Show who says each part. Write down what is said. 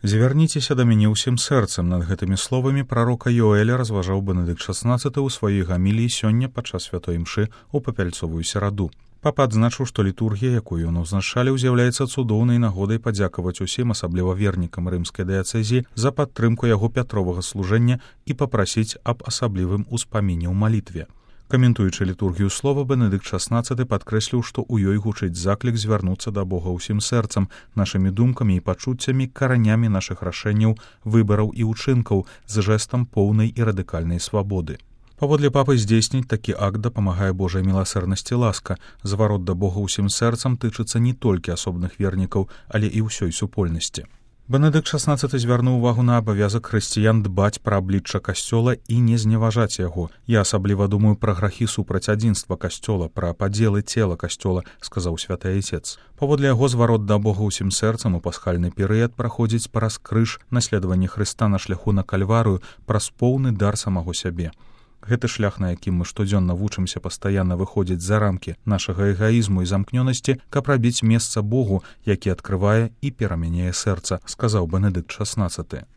Speaker 1: «Звярніцеся да мяне ўсім сэрцам». Над гэтымі словамі прарока Йоэля разважаў Бенедыкт XVI ў сваёй гаміліі сёння падчас святой імшы ў папяльцовую сераду. Папа адзначыў, што літургія, якую ён узначаліў, з'яўляецца цудоўнай нагодай падзякаваць усім, асабліва вернікам рымскай дыяцэзіі, за падтрымку яго пятровага служэння і папрасіць аб асаблівым успаміне ў малітве. Каментуючы літургію слова, Бенедыкт XVI падкрэсліў, што ў ёй гучыць заклік звярнуцца да Бога ўсім сэрцам, нашымі думкамі і пачуццямі, каранямі нашых рашэнняў, выбараў і ўчынкаў з жэстам поўнай і радыкальнай свабоды. Паводле папы, здзейсніць такі акт дапамагае Божай міласэрнасці ласка. Зварот да Бога ўсім сэрцам тычыцца не толькі асобных вернікаў, але і ўсёй супольнасці. Бенедыкт XVI звярнуў увагу на абавязак хрысціян дбаць пра аблічча касцёла і не зневажаць яго. «Я асабліва думаю пра грахі супраць адзінства касцёла, пра падзелы цела касцёла», сказаў святы айцец. Паводле яго, зварот да Бога ўсім сэрцам у пасхальны перыяд праходзіць праз крыж, наследаванне Хрыста на шляху на кальварыю, праз поўны дар самого сябе. Гэты шлях, на якім мы штодзённа вучымся пастаянна выходзіць за рамкі нашага эгаізму і замкнёнасці, каб рабіць месца Богу, які адкрывае і перамяняе сэрца, сказаў Бенедыкт XVI.